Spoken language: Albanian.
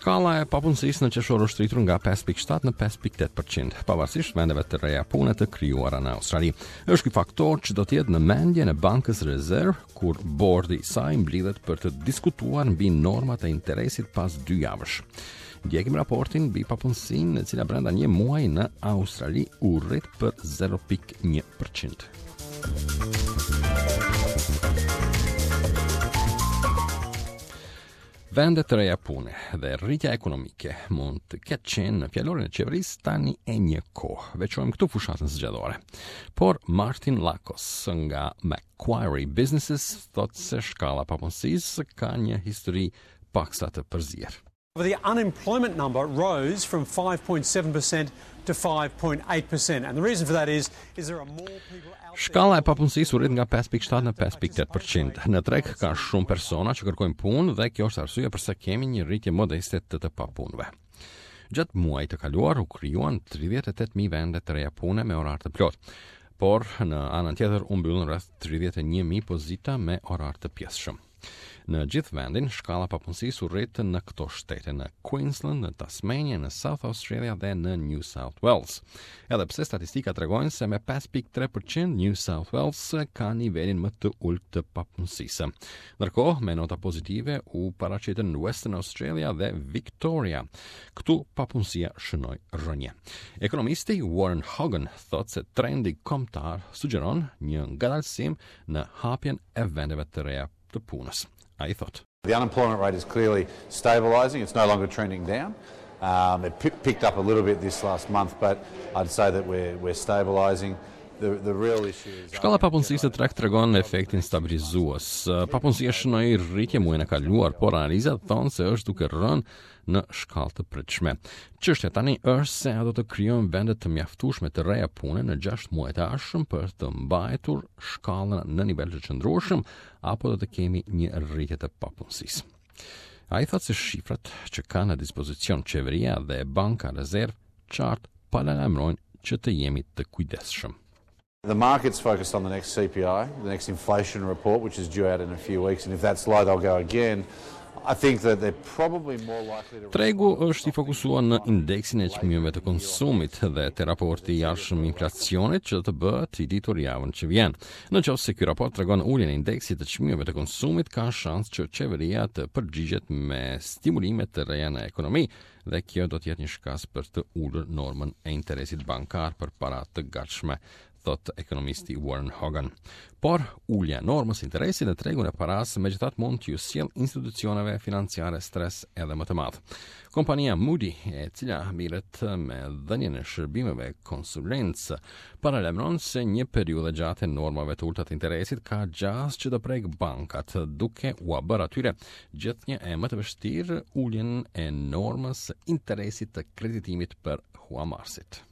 Shkalla e papunësisë në qershor është rritur nga 5.7 në 5.8%, pavarësisht vendeve të reja pune të krijuara në Australi. Është ky faktor që do të jetë në mendjen e Bankës Rezervë kur bordi i saj mblidhet për të diskutuar mbi normat e interesit pas dy javësh. Ndjekim raportin mbi papunësinë, e cila brenda një muaji në Australi u rrit për 0.1%. Vende të reja pune dhe rritja ekonomike mund të ketë qenë në fjalorin e qeverisë tani e një kohë. Veçojmë këtu fushatën zgjedhore. Por Martin Lakos nga Macquarie Businesses thotë se shkalla e papunësisë ka një histori paksa të përzier. The unemployment number rose from 5.7% to 5.8%. And the reason for that is is there are more people out there Shkalla e papunësisë u rrit nga 5.7 në 5.8%. Në treg ka shumë persona që kërkojnë punë dhe kjo është arsyeja përse kemi një rritje modeste të të papunëve. Gjatë muajit të kaluar u krijuan 38.000 vende të reja pune me orar të plotë, por në anën tjetër u mbyllën rreth 31.000 pozita me orar të pjesshëm. Në gjithë vendin, shkalla e papunësisë u rrit në këto shtete, në Queensland, në Tasmania, në South Australia dhe në New South Wales. Edhe pse statistikat tregojnë se me 5.3% New South Wales ka nivelin më të ulët të papunësisë. Ndërkohë, me nota pozitive u paraqitën Western Australia dhe Victoria. Këtu papunësia shënoi rënie. Ekonomisti Warren Hogan thotë se trendi kombëtar sugjeron një ngadalësim në hapjen e vendeve të reja të punës. Ai thotë. The unemployment rate is clearly stabilizing, it's no longer trending down. Um, it picked up a little bit this last month, but I'd say that we're, we're stabilizing. The, the real issue is... Shkalla e papunësisë në treg tregon efektin stabilizues. Papunësia shënoi rritje muajin e kaluar, por analizat thonë se është duke rënë në shkallë të pritshme. Çështja tani është se a do të krijojmë vende të mjaftueshme të reja pune në 6 muajt e ardhshëm për të mbajtur shkallën në nivel të qëndrueshëm apo do të kemi një rritje të papunësisë. Ai thotë se shifrat që ka në dispozicion qeveria dhe Banka Rezervë qartë paralajmërojnë që të jemi të kujdesshëm. The market's focused on the next CPI, the next inflation report, which is due out in a few weeks, and if that's low, they'll go again. I think that they're probably more likely to Tregu është i fokusuar në indeksin e çmimeve të konsumit dhe te raporti i ardhshëm i inflacionit që do të bëhet i ditur javën që vjen. Në qoftë se ky raport tregon uljen e indeksit të çmimeve të konsumit, ka shans që qeveria të përgjigjet me stimulime të reja në ekonomi dhe kjo do të jetë një shkas për të ulur normën e interesit bankar për para të gatshme, thotë ekonomisti Warren Hogan. Por, ulja e normës së interesit në tregun e parasë megjithatë mund t'ju sjellë institucioneve financiare stres edhe më të madh. Kompania Moody, e cila merret me dhënien e shërbimeve konsulencë, paralajmëron se një periudhë e gjatë e normave të ulëta të interesit ka gjasë që të prekë bankat, duke ua bërë atyre gjithnjë e më të vështirë uljen e normës së interesit të kreditimit për huamarrësit.